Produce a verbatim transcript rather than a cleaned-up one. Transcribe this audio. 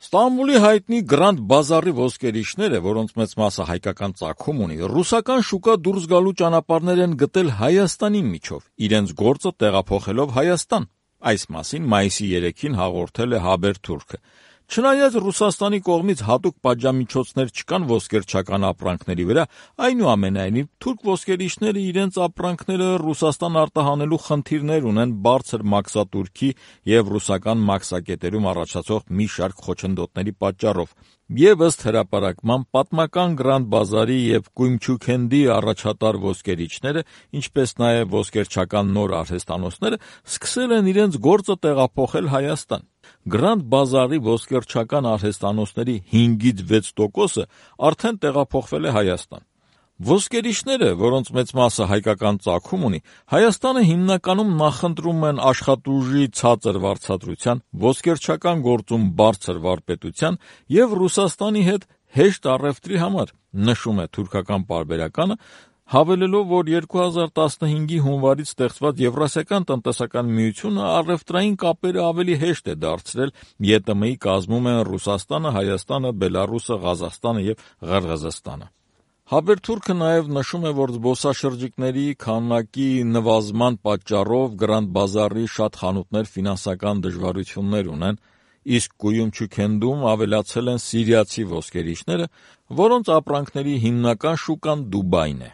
Ստամբուլի հայտնի Grand Bazaar-ի ոսկերիչները, որոնց մեծ մասը հայկական ծագում ունի, ռուսական շուկա դուրս գալու ճանապարհներ են գտել Հայաստանի միջով, իրենց գործը տեղափոխելով Հայաստան։ Այս մասին մայիսի երեքին հաղորդել է Haberturk-ը։ Չնայած Ռուսաստանի կողմից հատուկ պատժամիջոցներ չկան ոսկերչական ապրանքների վրա, այնուամենայնիվ թուրք ոսկերիչները իրենց ապրանքները Ռուսաստան արտահանելու խնդիրներ ունեն բարձր մաքսատուրքի և ռուսական մաքսակետերում առաջացող մի շարք խոչընդոտների պատճառով, և ըստ հրապարակման պատմական Grand Bazaar-ի և Կույմչուքենդի առաջատար ոսկերիչները, ինչպես նաև ոսկերչական նոր արհեստանոցները սկսել են իրենց գործը տեղափոխել Հայաստան։ Grand Bazaar-ի ոսկերչական արհեստանոցների հինգից վեց տոկոսը արդեն տեղափոխվել է Հայաստան։ Ոսկերիչները, որոնց մեծ մասը հայկական ծագում ունի, Հայաստանը հիմնականում նախընտրում են աշխատուժի ցածր վարձատրության, ոսկերչական գործում բարձր վարպետության և Ռուսաստանի հետ հեշտ առևտրի համար, նշում է թուրքական պարբերականը, հավելելով, որ երկու հազար տասնհինգի հունվարից ստեղծված Եվրասիական տնտեսական միությունը առևտրային կապերը ավելի հեշտ է դարձրել, ԵՏՄ-ի կազմում են Ռուսաստանը, Հայաստանը, Բելառուսը, Ղազախստանը և Ղրղըզստանը։ Haberturk-ը նաև նշում է, որ զբոսաշրջիկների քանակի նվազման պատճառով Grand Bazaar-ի շատ խանութներ ֆինանսական դժվարություններ ունեն, իսկ Կույումչուքենդում ավելացել են սիրիացի ոսկերիչները, որոնց ապրանքների հիմնական շուկան Դուբայն է։